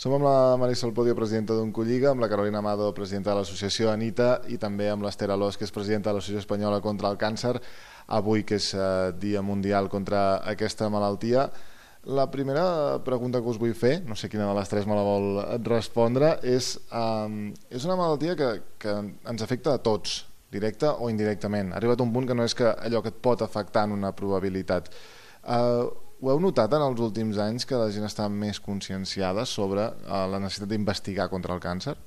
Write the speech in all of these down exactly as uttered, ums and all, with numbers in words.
Som amb la Marisol Podio, presidenta d'Oncolliga, amb la Carolina Amado, presidenta de l'associació Anita, i també amb l'Ester Alòs, que és presidenta de l'Associació Espanyola contra el Càncer, avui que és Dia Mundial contra aquesta malaltia. La primera pregunta que us vull fer, no sé quina de les tres me la vol respondre, és, um, és una malaltia que, que ens afecta a tots, directa o indirectament. Ha arribat un punt que no és que allò que et pot afectar en una probabilitat. Uh, ho heu notat en els últims anys que la gent està més conscienciada sobre uh, la necessitat d'investigar contra el càncer?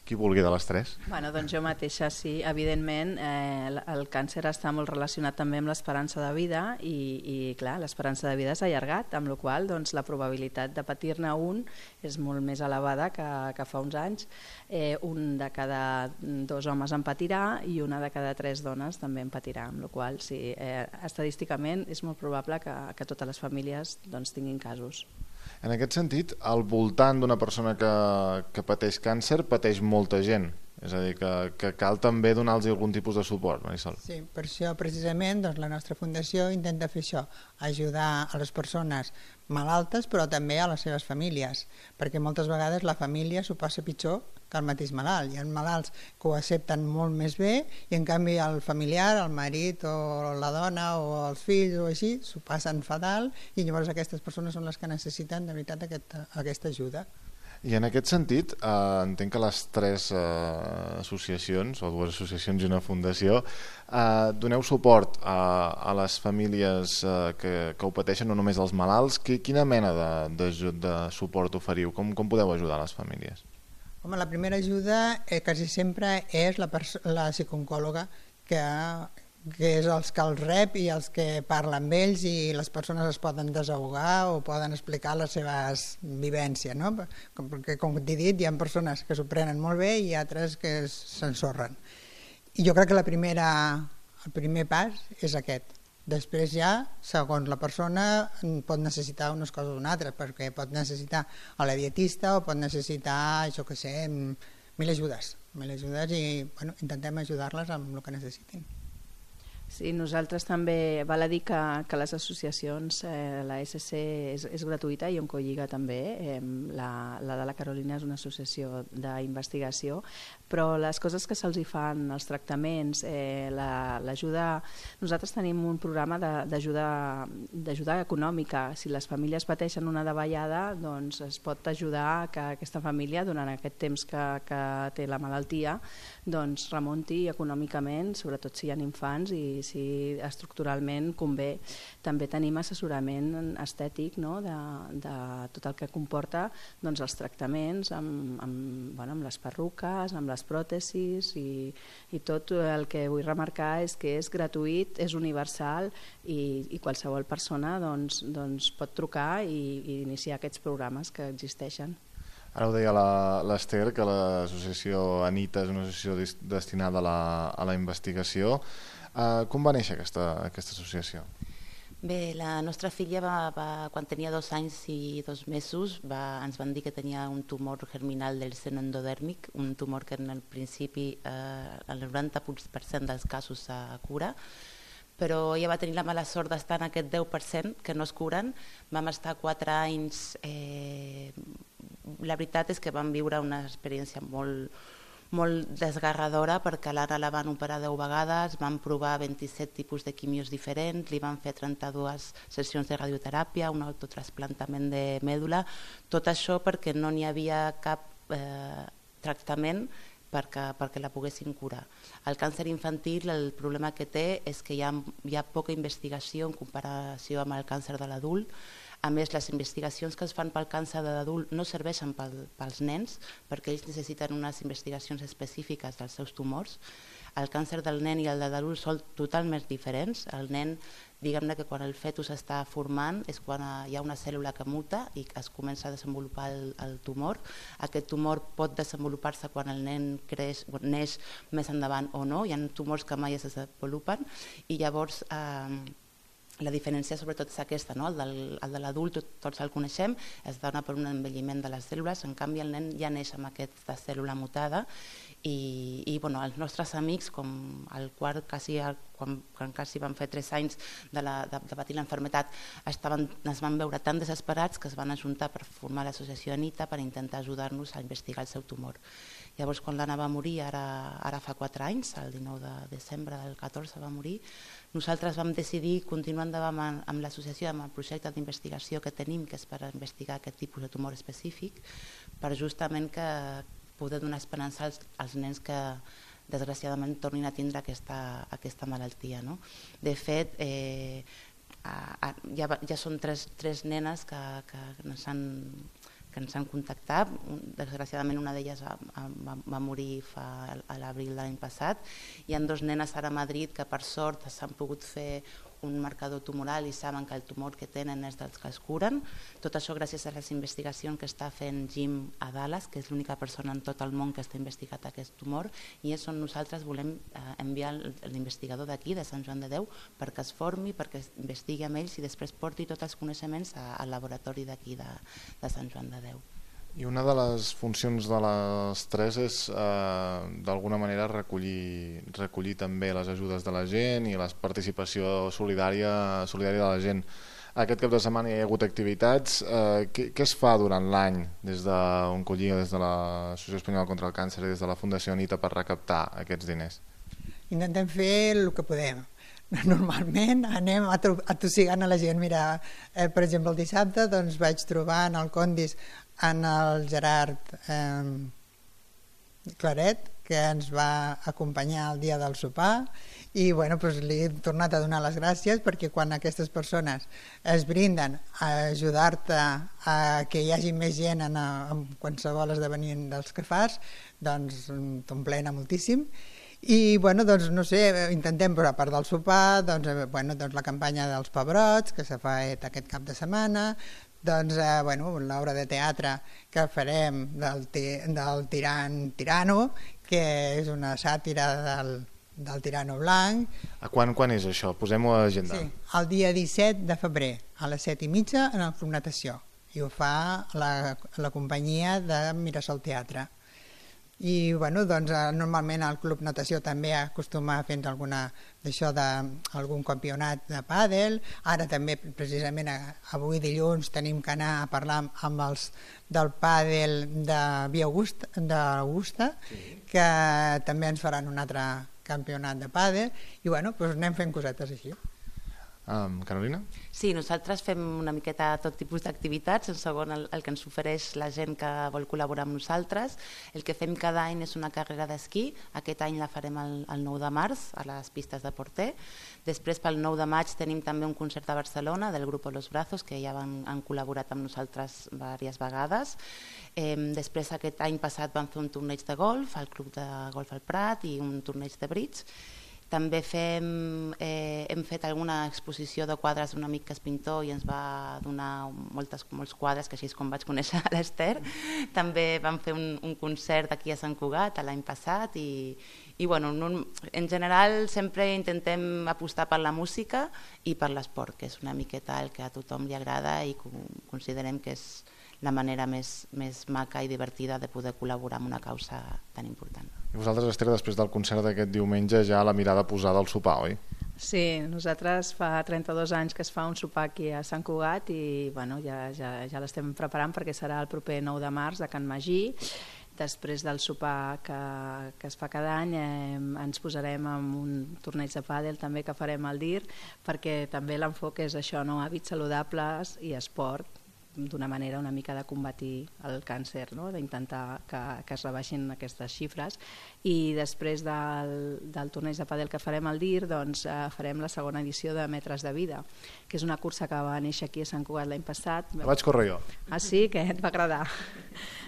Qui vulgui de les tres? Bueno, doncs jo mateixa sí, evidentment eh, el càncer està molt relacionat també amb l'esperança de vida i, i clar, l'esperança de vida s'ha allargat, amb la qual cosa doncs, la probabilitat de patir-ne un és molt més elevada que, que fa uns anys. Eh, un de cada dos homes en patirà i una de cada tres dones també en patirà, amb la qual cosa sí, eh, estadísticament és molt probable que, que totes les famílies doncs, tinguin casos. En aquest sentit, al voltant d'una persona que, que pateix càncer, pateix molta gent. És a dir, que, que cal també donar-los algun tipus de suport, Marisol. Sí, per això precisament doncs, la nostra fundació intenta fer això, ajudar a les persones malaltes però també a les seves famílies, perquè moltes vegades la família s'ho passa pitjor que el mateix malalt. Hi ha malalts que ho accepten molt més bé i en canvi el familiar, el marit o la dona o els fills o així s'ho passen fatal i llavors aquestes persones són les que necessiten de veritat aquesta, aquesta ajuda. I en aquest sentit, eh, entenc que les tres eh, associacions, o dues associacions i una fundació, eh, doneu suport a, a les famílies eh, que, que ho pateixen, no només als malalts. Quina mena de, de, de suport oferiu? Com, com podeu ajudar les famílies? Home, la primera ajuda eh, quasi sempre és la, la psicooncòloga que, que és els que els rep i els que parla amb ells i les persones es poden desahogar o poden explicar les seves vivències, no? Perquè com t'he dit hi ha persones que s'ho prenen molt bé i altres que s'ensorren. I jo crec que la primera, el primer pas és aquest. Després ja, segons la persona, pot necessitar unes coses o unes altres, perquè pot necessitar a la dietista o pot necessitar, jo què sé, mil ajudes, mil ajudes i bueno, intentem ajudar-les amb el que necessitin. Sí, nosaltres també, val a dir que, que les associacions, eh, la S C és, és gratuïta i Oncolliga també, eh, la, la de la Carolina és una associació d'investigació, però les coses que se'ls fan, els tractaments, eh, l'ajuda... La, nosaltres tenim un programa d'ajuda econòmica. Si les famílies pateixen una davallada, doncs es pot ajudar que aquesta família, durant aquest temps que, que té la malaltia, doncs remunti econòmicament, sobretot si hi ha infants i si estructuralment convé. També tenim assessorament estètic, no? de, de tot el que comporta doncs, els tractaments amb, amb, bueno, amb les perruques, amb les pròtesis i, i tot el que vull remarcar és que és gratuït, és universal i, i qualsevol persona doncs, doncs, pot trucar i, i iniciar aquests programes que existeixen. Ara ho deia l'Ester, que l'associació Anita és una associació destinada a la, a la investigació. Uh, com va néixer aquesta, aquesta associació? Bé, la nostra filla va, va, quan tenia dos anys i dos mesos va, ens van dir que tenia un tumor germinal del seno endodèrmic, un tumor que en el principi eh, el noranta per cent dels casos se cura, però ella va tenir la mala sort d'estar en aquest deu per cent que no es curen. Vam estar quatre anys, eh, la veritat és que vam viure una experiència molt molt desgarradora perquè a l'Anna la van operar deu vegades, van provar vint-i-set tipus de quimios diferents, li van fer trenta-dues sessions de radioteràpia, un autotrasplantament de mèdula, tot això perquè no n'hi havia cap eh, tractament perquè, perquè la poguessin curar. El càncer infantil, el problema que té és que hi ha, hi ha poca investigació en comparació amb el càncer de l'adult. A més, les investigacions que es fan pel càncer de l'adult no serveixen pel, pels nens perquè ells necessiten unes investigacions específiques dels seus tumors. El càncer del nen i el de l'adult són totalment diferents. El nen, diguem-ne que quan el fetus està formant és quan hi ha una cèl·lula que muta i es comença a desenvolupar el, el tumor. Aquest tumor pot desenvolupar-se quan el nen creix, neix més endavant o no. Hi ha tumors que mai es desenvolupen i llavors... Eh, La diferència sobretot és aquesta, no? El, del, el de l'adult tot, tots el coneixem, es dona per un envelliment de les cèl·lules, en canvi el nen ja neix amb aquesta cèl·lula mutada i, i bueno, els nostres amics, com el quart, quasi el quan, quan quasi van fer tres anys de, la, de, de patir l'enfermetat, estaven, es van veure tan desesperats que es van ajuntar per formar l'associació Anita per intentar ajudar-nos a investigar el seu tumor. Llavors, quan l'Anna va morir, ara, ara fa quatre anys, el dinou de desembre del catorze va morir, nosaltres vam decidir continuar endavant amb, amb l'associació, amb el projecte d'investigació que tenim, que és per investigar aquest tipus de tumor específic, per justament que poder donar esperança als, als nens que desgraciadament tornin a tindre aquesta, aquesta malaltia. No? De fet, eh, a, a, ja, ja són tres, tres nenes que, que ens han que ens han contactat. Desgraciadament una d'elles va, va, va morir fa, a l'abril de l'any passat. Hi ha dos nenes ara a Madrid que per sort s'han pogut fer un marcador tumoral i saben que el tumor que tenen és dels que es curen. Tot això gràcies a les investigacions que està fent Jim a Dallas, que és l'única persona en tot el món que està investigat aquest tumor, i és on nosaltres volem eh, enviar l'investigador d'aquí, de Sant Joan de Déu, perquè es formi, perquè investigui amb ells i després porti tots els coneixements a, al laboratori d'aquí de, de Sant Joan de Déu. I una de les funcions de les tres és eh, d'alguna manera recollir, recollir també les ajudes de la gent i la participació solidària, solidària de la gent. Aquest cap de setmana hi ha hagut activitats. Eh, què, què es fa durant l'any des d'Oncolliga, des de l'Associació Espanyola contra el Càncer i des de la Fundació Anita per recaptar aquests diners? Intentem fer el que podem. Normalment anem atossigant a la gent. Mira, eh, per exemple, el dissabte doncs, vaig trobar en el Condis en el Gerard eh, Claret, que ens va acompanyar el dia del sopar, i bueno, doncs li he tornat a donar les gràcies perquè quan aquestes persones es brinden a ajudar-te a que hi hagi més gent en, en qualsevol esdeveniment dels que fas, doncs t'omplena moltíssim. I bueno, doncs no sé, intentem, però a part del sopar, doncs, bueno, doncs la campanya dels pebrots que s'ha fet aquest cap de setmana, doncs eh, bueno, l'obra de teatre que farem del, del Tiran Tirano, que és una sàtira del, del Tirano Blanc. A quan, quan és això? Posem-ho a l'agenda. Sí, el dia disset de febrer, a les set i mitja, en el Club Natació. I ho fa la, la companyia de Mirasol Teatre. I bueno, doncs, normalment el Club Natació també acostuma a fer alguna d'això d'algun campionat de pàdel. Ara també precisament avui dilluns tenim que anar a parlar amb els del pàdel de Via Augusta, d'Augusta, sí, que també ens faran un altre campionat de pàdel i bueno, doncs anem fent cosetes així. Um, Carolina? Sí, nosaltres fem una miqueta tot tipus d'activitats, en segon el, el que ens ofereix la gent que vol col·laborar amb nosaltres. El que fem cada any és una carrera d'esquí, aquest any la farem el, el nou de març a les pistes de Porter. Després pel nou de maig tenim també un concert a Barcelona del grup Los Brazos, que ja van, han col·laborat amb nosaltres diverses vegades. Eh, després aquest any passat vam fer un torneig de golf al Club de Golf al Prat i un torneig de bridge. També fem, eh, hem fet alguna exposició de quadres d'un amic que és pintor i ens va donar moltes, molts quadres, que així és com vaig conèixer l'Ester. També vam fer un, un concert aquí a Sant Cugat l'any passat i, i bueno, en general sempre intentem apostar per la música i per l'esport, que és una miqueta el que a tothom li agrada i considerem que és la manera més, més maca i divertida de poder col·laborar amb una causa tan important. I vosaltres, Esther, després del concert d'aquest diumenge ja la mirada posada al sopar, oi? Sí, nosaltres fa trenta-dos anys que es fa un sopar aquí a Sant Cugat i bueno, ja, ja, ja l'estem preparant perquè serà el proper nou de març a Can Magí. Després del sopar que, que es fa cada any eh, ens posarem en un torneig de pàdel també que farem al D I R perquè també l'enfoc és això, no? Hàbits saludables i esport, d'una manera una mica de combatir el càncer, no? D'intentar que, que es rebaixin aquestes xifres. I després del, del torneig de pàdel que farem al D I R, doncs, eh, farem la segona edició de Metres de Vida, que és una cursa que va néixer aquí a Sant Cugat l'any passat. La vaig córrer jo. Ah, sí? Que et va agradar?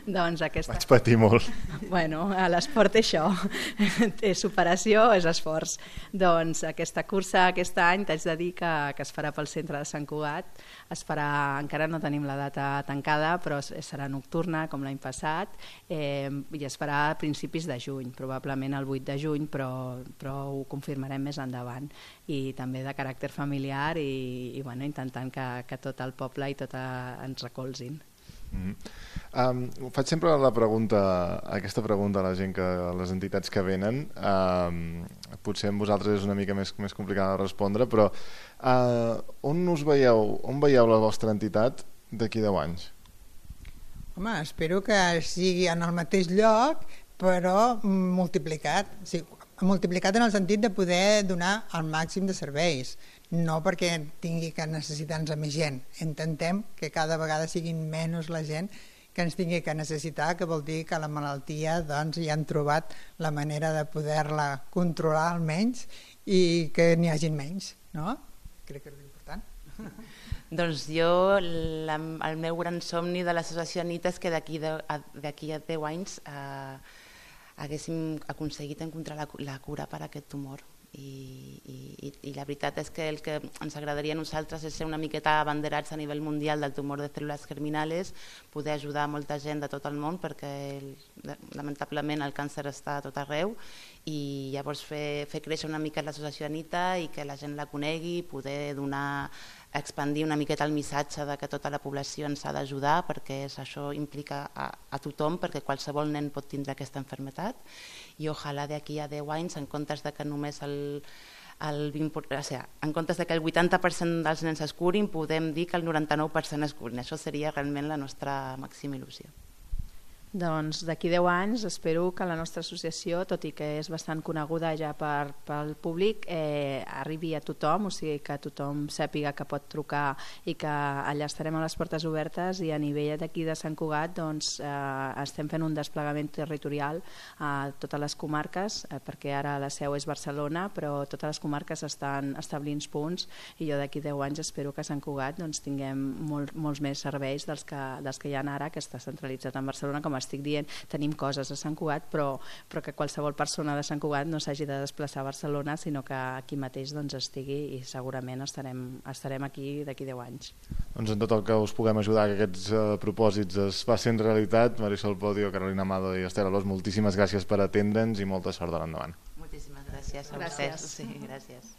Doncs aquesta... Vaig patir molt. Bueno, l'esport és això, és superació, és esforç. Doncs aquesta cursa aquest any t'haig de dir que, que es farà pel centre de Sant Cugat, es farà, encara no tenim la data tancada, però serà nocturna com l'any passat eh, i es farà a principis de juny, probablement el vuit de juny, però, però ho confirmarem més endavant, i també de caràcter familiar i, i bueno, intentant que, que tot el poble i tot a, ens recolzin. Mm-hmm. Um, faig sempre la pregunta, aquesta pregunta a la gent, que, a les entitats que venen. Um, potser amb vosaltres és una mica més, més complicat de respondre, però uh, on us veieu, on veieu la vostra entitat d'aquí deu anys? Home, espero que sigui en el mateix lloc, però multiplicat. O sigui, multiplicat en el sentit de poder donar el màxim de serveis, no perquè tingui que necessitar-nos a més gent. Intentem que cada vegada siguin menys la gent que ens tingui que necessitar, que vol dir que la malaltia doncs, ja han trobat la manera de poder-la controlar almenys i que n'hi hagin menys, no? Crec que és important. Doncs jo, la, el meu gran somni de l'associació Anita és que d'aquí a deu anys eh, haguéssim aconseguit encontrar la, la cura per a aquest tumor. I, i, i la veritat és que el que ens agradaria a nosaltres és ser una miqueta abanderats a nivell mundial del tumor de cèl·lules germinales, poder ajudar molta gent de tot el món, perquè el, lamentablement el càncer està a tot arreu, i llavors fer, fer créixer una mica l'associació Anita i que la gent la conegui, poder donar, expandir una miqueta el missatge de que tota la població ens ha d'ajudar, perquè això implica a, a tothom, perquè qualsevol nen pot tindre aquesta malaltia, i ojalà d'aquí a deu anys, en comptes de que només el, el vint, o sigui, en comptes de que el vuitanta per cent dels nens es curin, podem dir que el noranta-nou per cent es curin. Això seria realment la nostra màxima il·lusió. Doncs d'aquí deu anys espero que la nostra associació, tot i que és bastant coneguda ja per, pel públic, eh, arribi a tothom, o sigui que tothom sàpiga que pot trucar i que allà estarem a les portes obertes, i a nivell d'aquí de Sant Cugat doncs, eh, estem fent un desplegament territorial a totes les comarques, eh, perquè ara la seu és Barcelona, però totes les comarques estan establint punts, i jo d'aquí deu anys espero que a Sant Cugat doncs, tinguem molt, molts més serveis dels que, dels que hi ha ara, que està centralitzat en Barcelona. Com estic dient, tenim coses a Sant Cugat, però, però que qualsevol persona de Sant Cugat no s'hagi de desplaçar a Barcelona, sinó que aquí mateix doncs, estigui, i segurament estarem, estarem aquí d'aquí deu anys. Doncs en tot el que us puguem ajudar que aquests uh, propòsits es facin realitat. Marisol Podio, Carolina Amado i Esther Alòs, moltíssimes gràcies per atendre'ns i molta sort de l'endavant. Moltíssimes gràcies a Gràcies. vostès. Sí, gràcies.